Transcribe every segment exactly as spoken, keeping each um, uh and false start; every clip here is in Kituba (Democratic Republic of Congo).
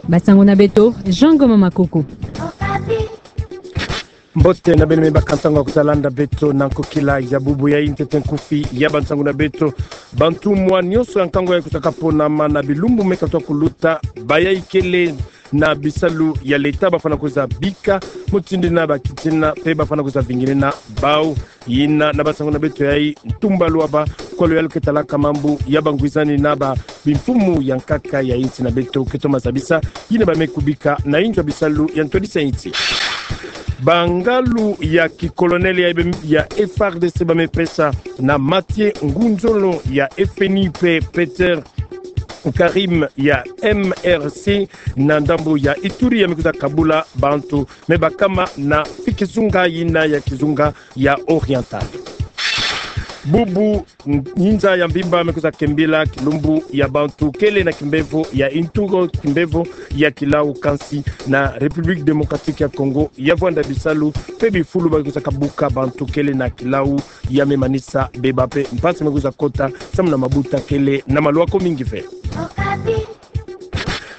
Bansango na beto, Jean Ngoma Makuku. Mbote na beno me baka ntangu ya kutalanda beto na nkokila ya bubu yayi. Ntete nkufi ya bansango na beto. Bantumwa nyonso ya nkangu yayi kwiza kaponama na bilumbu me katoka kuluta, bayayi kele na bisalu ya leta bafwana kwiza bika mutindu yina bakiti yina, mpe bafwana kwiza vinginina bau. Yina na bansango na beto yayi, ntumba lwaba kwa luyalu ke talaka mambu ya bangwizani na ba bimfumu ya nkaka ya insi na beto ke toma zabisa yina ba me kubika na inzo ya bisalu ya ntwadisi ya insi. Bangalu ya kikolonele ya, ya F R D C ba me pesa na Mathieu Ngunzolo ya F N I mpe Peter Karim ya M R C na ndambu ya Ituri ya me kwiza kabula bantu me bakama na kizunga yina ya kizunga ya Oriental. Bubu ninza ya mvimba me kwiza kembila kilumbu ya bantu kele na kimbevo ya intungo kimbevo ya kilau, kansi na République Démocratique ya Congo ya vwanda bisalu mpe bifulu ba kwiza kabuka bantu kele na kilau ya me manisa beba mpe mpasi me kwiza kota samu na mabuta kele na malwako mingi ve.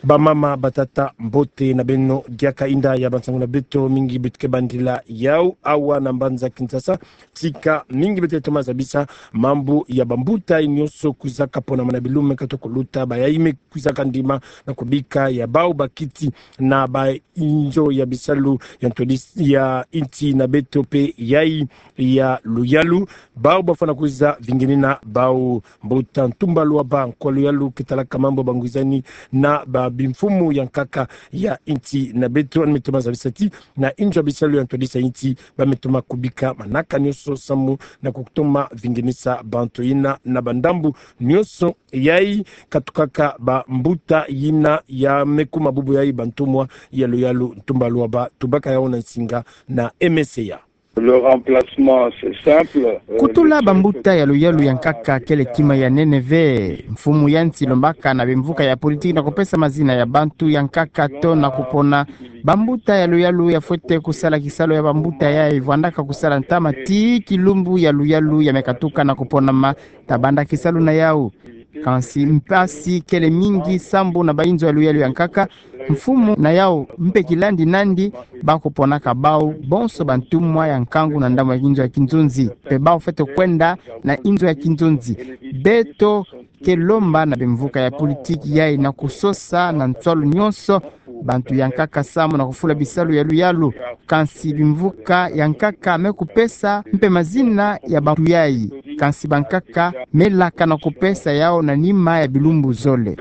Bamama, batata, mbote na beno, diaka inda ya bansango na beto. Mingi beto ke bandila yau awa na mbanza Kinshasa. Tika mingi beto toma zabisa mambu ya bambuta nyonso kwiza kaponama na bilumbu me katoka kuluta, bayayi me kwiza kandima na kubika ya bau bakiti na ba inzo ya bisalu ya ntwadisi ya insi na beto mpe yayi ya luyalu. Bau bafwana kwiza vinginina bau. Mbuta ntumba lwaba kwa luyalu ke talaka mambu ya bangwizani na ba bimfumu ya nkaka ya insi na beto, yandi me toma zabisa ti na inzo ya bisalu ya ntwadisi ya insi ba me toma kubika manaka nyonso samu na kutoma vinginisa bantu yina na bandambu nyonso yayi. Katukaka bambuta yina ya me kuma bubu yayi, bantumwa ya luyalu ntumba lwaba, tubaka yau na nsinga na M C A. Le remplacement, c'est simple. Euh, kutula bambuta ya luyalu ya nkaka kele kima ya nene ve. Mfumu ya nsi lombaka na bimvuka ya politiki na kupesa mazina ya bantu ya nkaka to na kupona bambuta ya luyalu ya fwete kusala kisalu ya bambuta yayi, vwandaka kusala ntama ti kilumbu ya luyalu ya me katuka na kuponama, ta banda kisalu na yau. Kansi mpasi kele mingi sambu na ba inzo ya luyalu ya nkaka, mfumu na yau mpe kilandi nandi ba kuponaka bau bonso bantumwa ya nkangu na ndambu ya inzo ya kinzonzi. Mpe bau fwete kwenda na inzo ya kinzonzi. Beto ke lomba na bimvuka ya politiki yayi na kusosa na nswalu nyonso bantu ya nkaka samu na kufula bisalu ya luyalu. Kansi bimvuka ya nkaka me kupesa mpe mazina ya bantu yayi. Kansi bankaka me laka na kupesa yau na nima ya bilumbu zole.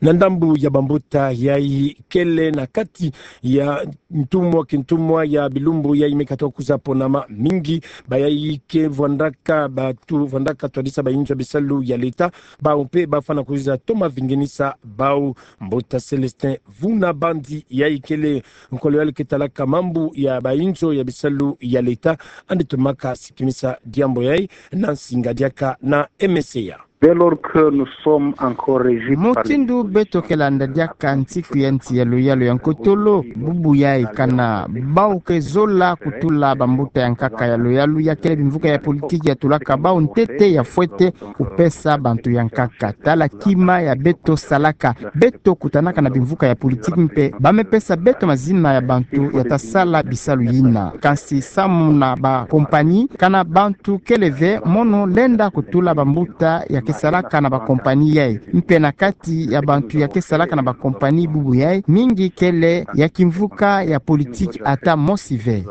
Na ndambu ya bambuta yayi kele na kati ya ntumwa kintumwa ya bilumbu yayi me katoka kwiza ponama, mingi bayayi ke vwandaka, batu vwandaka twadisa ba inzo ya bisalu ya leta, bau mpe bafwana kwiza toma vinginisa bau. Mbuta Célestin Vuna Bandi yayi kele nkolo ya luyalu ke talaka mambu ya ba inzo ya bisalu ya leta, yandi tomaka sikimisa diambu yayi na nsinga diaka na M C A. Dès lors que nous sommes encore régis par les... Mutindu beto ke landa diaka nsiku ya nsi ya luyalu ya nkotolo, bubu yayi kana bau ke zola kutula bambuta ya nkaka ya luyalu, ya kele bimvuka ya politiki ya tulaka bau ntete ya fwete kupesa bantu ya nkaka. Tala kima ya beto salaka. Beto kutanaka na bimvuka ya politiki mpe ba me pesa beto mazina ya bantu ya ta sala bisalu yina. Kansi samu na ba kompanyi, kana bantu kele ve mono lenda kutula bambuta ya ke salaka na ba kompanyi yayi. Mpe na kati ya bantu ya ke salaka na ba kompanyi bubu yayi, mingi kele ya kimvuka ya politiki ata mosi ve.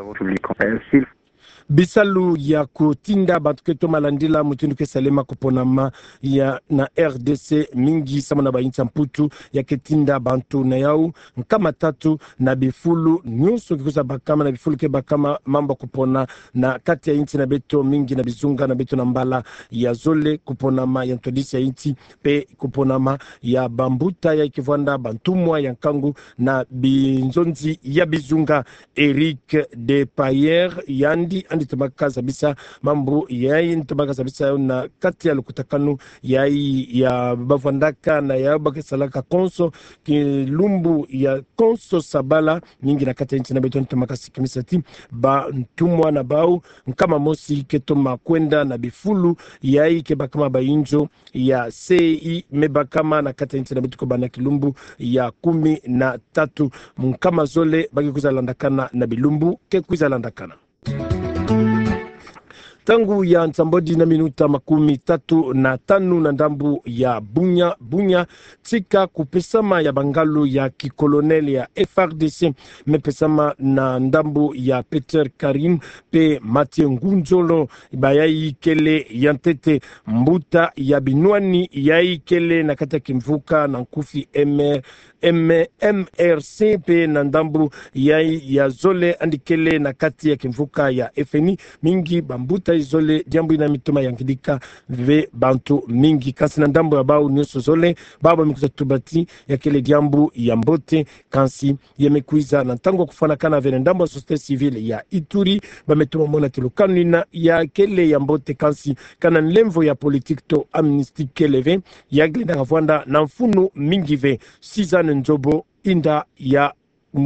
Bisalu ya kutinda bantu ke toma landila mutindu ke salema kuponama ya na R D C, mingi samu na ba insi ya Mputu ya ke tinda bantu na yau nkama tatu na bifulu nyonso ke kwiza bakama, na bifulu ke bakama mambu ya kupona na kati ya insi na beto, mingi na bizunga na beto na mbala ya zole, kuponama ya ntwadisi ya insi mpe kuponama ya bambuta yayi ke vwanda bantumwa ya nkangu na binzonzi ya bizunga. Eric de Payer yandi, yandi Ntombaka zabisa mambu yayi, ntombaka zabisa yawu na kati ya lukutakanu yayi ya bavwandaka na ya ba ke salaka konso, kilumbu ya konso sabala mingi na kati ya nti na beto. Ntombaka sikimisa ti bantumwa na bawu nkama mosi ke toma kwenda na bifulu yayi ke bakama ba inzo ya C I me bakama na kati ya nti na beto ko banda kilumbu ya kumi na tatu. Nkama zole ba ke kwiza landakana na bilumbu ke kwiza landakana. Ntangu ya nsambwadi na minuta makumi tatu na tanu na ndambu ya Bunia, Bunia, tika kupesama ya bangalu ya kikolonel ya F R D C, me pesama na ndambu ya Peter Karim pe Mathieu Ngunzolo, bayayi kele ya ntete mbuta ya binwani yayi kele na kati ya kimvuka na nkufi M R, M-, M R C pe na ndambu yayi ya zole yandi kele na kati ya kimvuka ya F N I. Mingi bambuta izole, diambu yina me toma yangidika ve bantu mingi. Kansi na ndambu ya bawu nyonso zole, bawu ba me kwiza tuba ti ya kele diambu ya mbote, kansi ya me kwiza na ntangu ya kufwanakana ve na ndambu ya société civile ya Ituri, ba me toma mona ti lukanu yina ya kele ya mbote, kansi kana nlemvo ya politique to amnistie kele ve, ya ke lenda kavwanda na mfunu mingi ve. Suzanne Nzobo, inda ya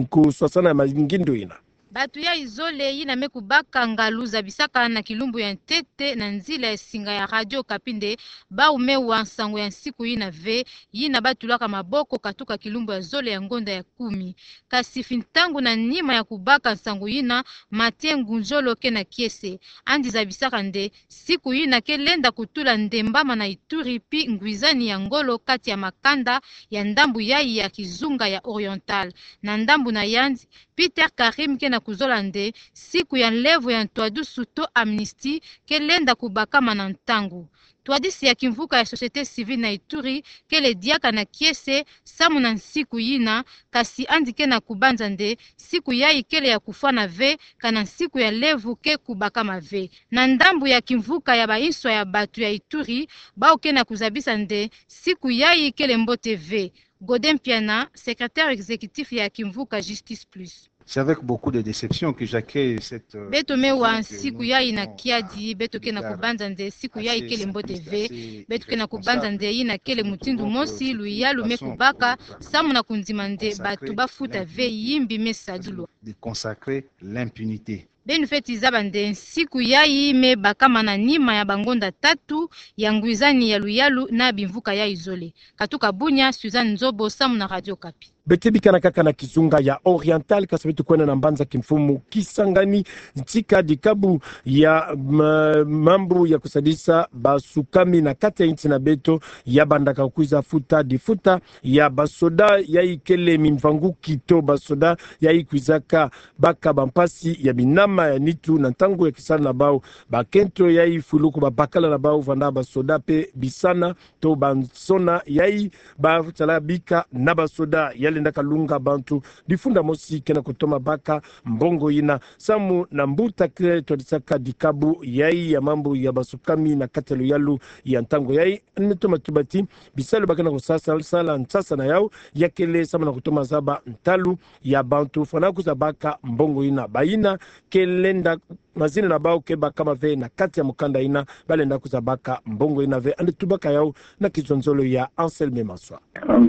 kuswasana ya mangindu yina. Bantu yayi zole yina me kubaka ngalu zabisaka na kilumbu ya ntete na nzila ya singa ya Radio Okapi nde bawu me wa nsangu ya nsiku yina ve, yina ba tulaka maboko katuka kilumbu ya zole ya ngonda ya kumi. Kansi fi ntangu na nima ya kubaka nsangu yina, Mathieu Ngunzolo ke na kiese. Yandi zabisaka nde siku yina ke lenda kutula ndembama na Ituri pi ngwizani ya ngolo kati ya makanda ya ndambu yayi ya kizunga ya Oriental. Na ndambu na yandi, Peter Karim ke na kuzola nde siku ya nlemvo ya ntwadusu to amnistie ke lenda kubakama na ntangu. Ntwadisi ya kimvuka ya société civile na Ituri kele diaka na kiese samu na nsiku yina, kansi yandi ke na kubanza nde siku yayi kele ya kufwana ve, kana nsiku ya nlemvo ke kubakama ve. Na ndambu ya kimvuka ya banswa ya bantu ya Ituri, bawu ke na kuzabisa nde siku yayi kele mbote ve. Godin Mpiana, secrétaire exécutif ya kimvuka Justice Plus. C'est avec beaucoup de déception que j'accueille cette, euh, décision que nous avons prise. Beto me wa nsiku yayi na kiadi, beto ke na kubanza nde siku yayi kele mbote ve, beto ke na kubanza nde yina kele mutindu mosi luyalu me kubaka samu na kundima nde bantu ba futa ve yimbi me sadilwa. De consacrer l'impunité. Beno fweti zaba nde nsiku yayi me bakama na nima ya bangonda tatu ya ngwizani ya luyalu na bimvuka yayi zole. Katuka Bunia, Suzanne Nzobo, samu na Radio Okapi. Beto bikana kaka na kizunga ya Oriental, kansi beto kwenda na mbanza kimfumu Kisangani, ntika dikabu ya ma-, mambu ya kusadisa basukami na kati ya nti na beto ya bandaka kwiza futa difuta ya basoda yayi kele mimvanguki to basoda yayi kwizaka baka bampasi ya binama ya nitu na ntangu ya kisalu na bawu. Bakento yayi fuluku babakala na bawu vanda basoda pe bisana to bansona yayi basala bika na basoda ya lendaka lunga bantu. Difunda mosi ke na kutoma baka mbongo yina samu na mbuta ke twadisaka dikabu yayi ya mambu ya basukami na kati ya luyalu ya ntangu yayi. Yandi me toma tuba ti bisalu ba ke na kusasala, sala nsasa na yawu ya kele samu na kutoma zaba ntalu ya bantu fwana kwiza baka mbongo yina. Bayina ke lenda mazina na bawu ke bakama ve na kati ya mukanda yina, ba lenda kwiza baka mbongo yina ve. Yandi tubaka yawu na kizonzolo ya Anselme Maswa.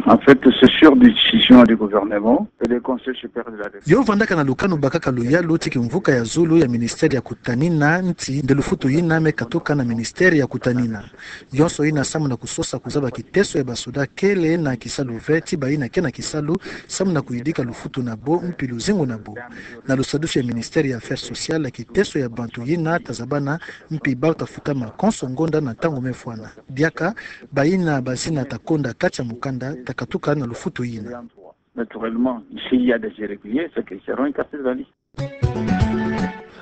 En fait, c'est sur décision du gouvernement et le Conseil supérieur de la défense. Yo vandaka na lukanu bakaka luyalu ti kimvuka ya zulu ya ministère ya kutanina nti nde lufutu yina me katuka na ministère ya kutanina. Yonso yina samu na kusosa kuzaba kiteso ya basoda kele na kisalu ve ti bayina ke na kisalu samu na kuyidika lufutu na bo mpi luzingu na bo. Na lusadusu ya ministère ya affaires sociales, kiteso ya bantu yina ta zabana mpi bawu ta futama konso ngonda na ntangu me fwana. Diaka bayina bazina ta konda kati ya mukanda ta katuka na lufutu yina. Naturellement, s'il y a des irréguliers, ceux qui seront incarcérés dans les...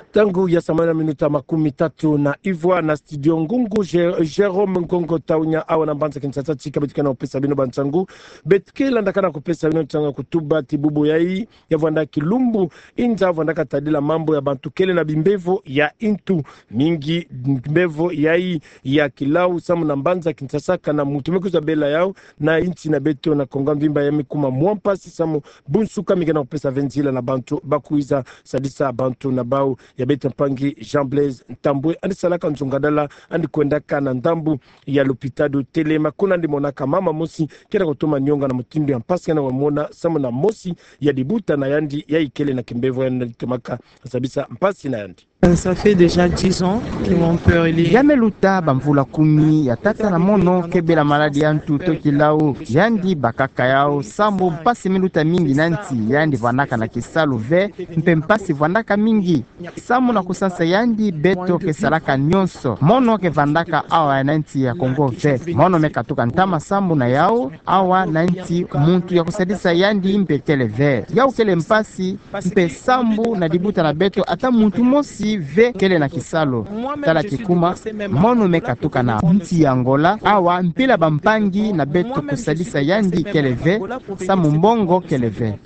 Ntangu ya sambwadi na minuta makumi tatu na ivwa na studio Ngungu, Jé-, Jérôme Ngongo Taunya, awa na mbanza Kinshasa, tika beto ke na kupesa bino bansangu. Beto ke landaka na kupesa bino nsangu ya kutuba ti bubu yayi ya vwanda kilumbu, inza vwandaka tadila mambu ya bantu kele na bimbevo ya ntu mingi, mbevo yayi ya kilau samu na mbanza Kinshasa, kana muntu me kwiza bela yawu na nti na beto na Kongo mvimba, ya me kuma mwa mpasi samu bunsuka mi ke na kupesa ve nzila na bantu ba kwiza sadisa bantu na bawu. ya beto mpangi Jean Blaise Ntambwe, yandi salaka nzungadala, yandi kwendaka na ndambu ya lopitalo Telema, kuna yandi monaka mama mosi ke na kutoma nionga na mutindu ya mpasi ke na kumona, samu na mosi ya libuta na yandi ya ikele na kimbevo, yandi tomaka zabisa mpasi na yandi. Ça fait déjà dix ans que mon père, il est... Ya me luta bamvula kumi ya tata na mono ke bela maladi ya ntu toki lau. Yandi bakaka yau, samu mpasi me luta mingi na nsi, yandi vandaka na kisalu ve, mpe mpasi vandaka mingi. Samu na kusansa yandi, beto ke salaka nionso. Mono ke vandaka awa na nsi ya Kongo ve. Mono me katuka ntama samu na yau, awa na nsi muntu ya kusadisa yandi mpe kele ve. Yau kele mpasi, mpe sambu na libuta na beto ata muntu mosi ve kele na kisalu. Tala kikuma, mono me katuka na nsi ya Angola, awa mpila bampangi na beto kusadisa yandi kele ve, samu mbongo kele ve.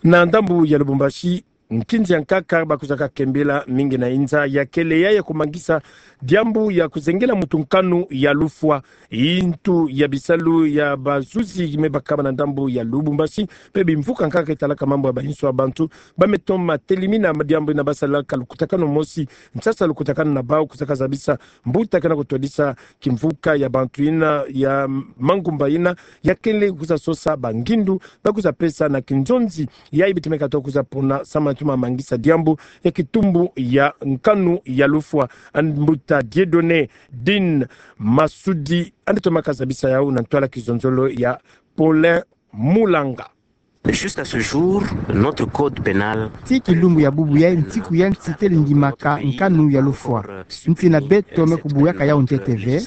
Na ndambu ya Lubumbashi, nkinzi ya nkaka bakwizaka kembela mingi na inza ya kele ya, ya kumangisa diambu ya kuzengela muntu nkanu ya lufwa. Intu ya bisalu ya bazuzi me bakaba na ndambu ya Lubumbashi, mpe bimvuka nkaka ke talaka mambu ya bainso ya bantu, ba me toma telimina diambu yina, ba salaka lukutakanu mosi, nsasa lukutakanu na bau, kwizaka zabisa mbuta ke na kutwadisa kimvuka ya bantu yina, ya mangumba yina, ya kele kwiza sosa bangindu ba kwiza pesa na kinzonzi ya yi beto me katuka kwiza pona, samu na toma mangisa diambu ya kitumbu ya nkanu ya lufwa. Yandi mbuta Dieudonné Din Masudi, yandi tomaka zabisa yau na ntwala kizonzolo ya Paulin Mulanga. Jusqu'à ce jour, notre code pénal... Tii kilumbu ya bubu yai, nsiku ya nsi tele ndimaka nkanu ya lufwa. Nsi na beto me kubuyaka yau ntete ve.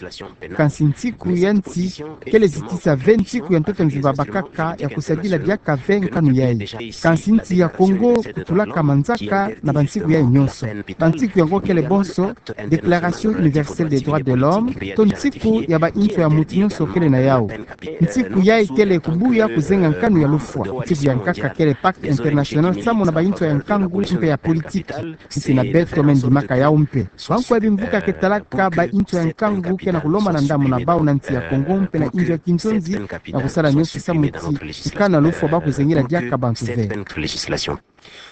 Kansi nsiku ya nsi kele zitisa ve nsiku ya ntoto mvimba bakaka ya kusadila diaka ve nkanu yai. Kansi nsi ya Kongo kutulaka manzaka na bansiku yai nionso. Bansiku yango kele bonso Déclaration universelle des droits de l'homme, to nsiku ya bainso ya muntu nionso kele na yau. Nsiku yai kele kubuya kuzenga nkanu ya lufwa. Nsiku ya nkaka kele Pacte international samu na bainso ya nkangu mpe ya politiki. Nsi na beto me ndimaka yau mpe. Bankwa bimvuka ke talaka bainso ya nkangu ke na kulomba na ndambu na bau na nsi ya Kongo mpe na inzo ya kinzonzi, na kusala nionso samu ti nkanu ya lufwa ba kuzengela diaka bantu ve.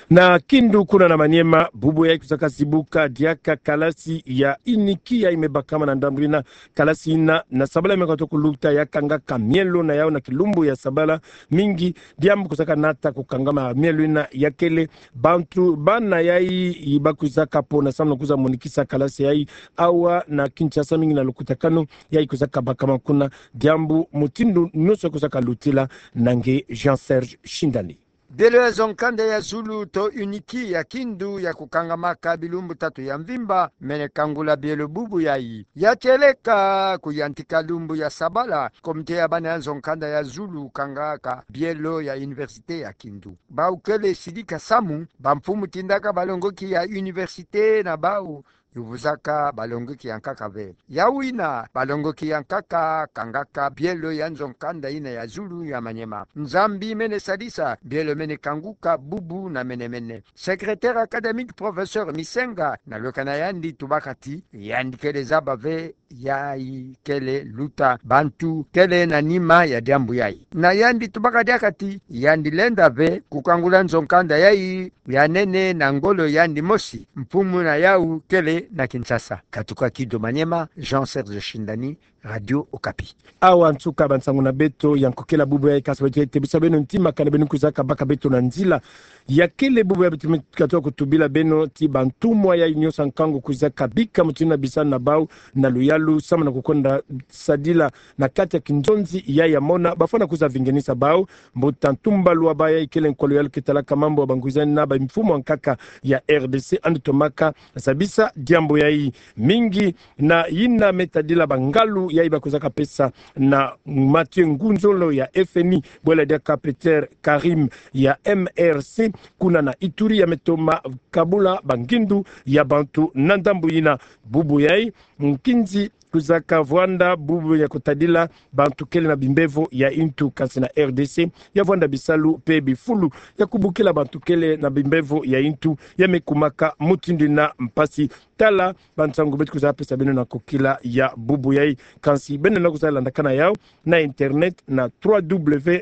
Na Kindu kuna na Maniema, bubu yai kwizaka zibuka diaka kalasi ya UNIKI yai me bakama na ndambu yina. Kalasi yina na sabala me katuka kuluta ya kangaka mielo na yau na kilumbu ya sabala mingi. Diambu kwizaka nata kukangama mielo yina ya kele bantu, bana yai ba kwizaka pona samu na kwiza monikisa kalasi yai awa na Kinshasa, mingi na lukutakanu yai kwizaka bakama kuna. Diambu mutindu nionso kwizaka lutila na nge Jean Serge Shindani. Bielo ya nzo nkanda ya zulu to UNIKI ya Kindu ya kukangamaka bilumbu tatu ya mvimba, mene kangula bielo bubu yai. Ya tieleka kuyantika lumbu ya sabala, komite ya bana ya nzo nkanda ya zulu kangaka bielo ya Université ya Kindu. Bau kele sidika samu bamfumu tindaka balongoki ya université na bau yuvuzaka balongoki ya nkaka ve. Yau yina, balongoki ya nkaka kangaka bielo ya nzo nkanda yina ya zulu ya Maniema. Nzambi mene sadisa bielo mene kanguka bubu na mene mene. Secrétaire académique, professeur Misenga, na lweka na yandi tubaka ti yandi kele zaba ve yai kele luta, bantu kele na nima ya diambu yai. Na yandi tubaka diaka ti yandi lenda ve kukangula nzo nkanda yai ya nene na ngolo yandi mosi, mfumu na yau kele na Kinshasa. Katuka Kindu Maniema, Jean Serge Shindani, Radio Okapi. Awa nsuka bansangu na beto ya nkokila bubu yai, kansi beto tebisa beno ti makana beno kwizaka baka beto na nzila ya kele bubu yai. Beto me katuka kutubila beno ti bantumwa yai nionso ya nkangu kwizaka bika mutindu na bisa na bau na luyalu samu na kukwenda sadila na kati ya kinzonzi yai ya mona, bafwana kwiza vingenisa bau. Mbuta Ntumba Luaba yai kele nkwa luyalu ke talaka mambu ya bangwizani na bamfumu ya nkaka ya R D C, yandi tomaka zabisa diambu yai. Mingi na yina me tadila bangalu yai ba kwizaka pesa na Mathieu Ngunzolo ya F N I, bwela diaka Peter Karim ya M R C, kuna na Ituri, ya me toma kabula bangindu ya bantu na ndambu yina. Bubu yai, nkinzi kwizaka vwanda bubu ya kutadila bantu kele na bimbevo ya intu, kansi na R D C ya vwanda bisalu mpe bifulu ya kubukila bantu kele na bimbevo ya intu, ya me kumaka mutindu yina mpasi. Tala bansangu beto kwizaka pesa beno na nkokila ya bubu yai, kansi beno lenda kwiza landakana yau na internet na trois W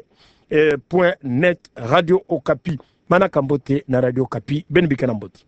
point net Radio Okapi. Manaka mbote na Radio Okapi, beno bika na mbote.